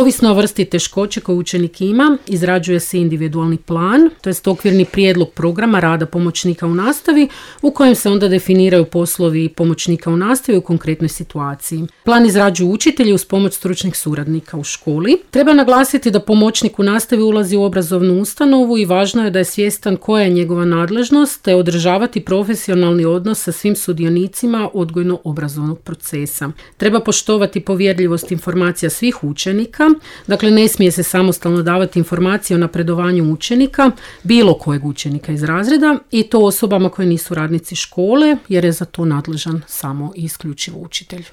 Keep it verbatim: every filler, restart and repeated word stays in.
Ovisno o vrsti teškoće koju učenik ima, izrađuje se individualni plan, to jest okvirni prijedlog programa rada pomoćnika u nastavi, u kojem se onda definiraju poslovi pomoćnika u nastavi u konkretnoj situaciji. Plan izrađuju učitelji uz pomoć stručnih suradnika u školi. Treba naglasiti da pomoćnik u nastavi ulazi u obrazovnu ustanovu i važno je da je svjestan koja je njegova nadležnost, te održavati profesionalni odnos sa svim sudionicima odgojno-obrazovnog procesa. Treba poštovati povjerljivost informacija svih učenika, dakle ne smije se samostalno davati informacije o napredovanju učenika, bilo kojeg učenika iz razreda, i to osobama koje nisu radnici škole, jer je za to nadležan samo i isključivo učitelj.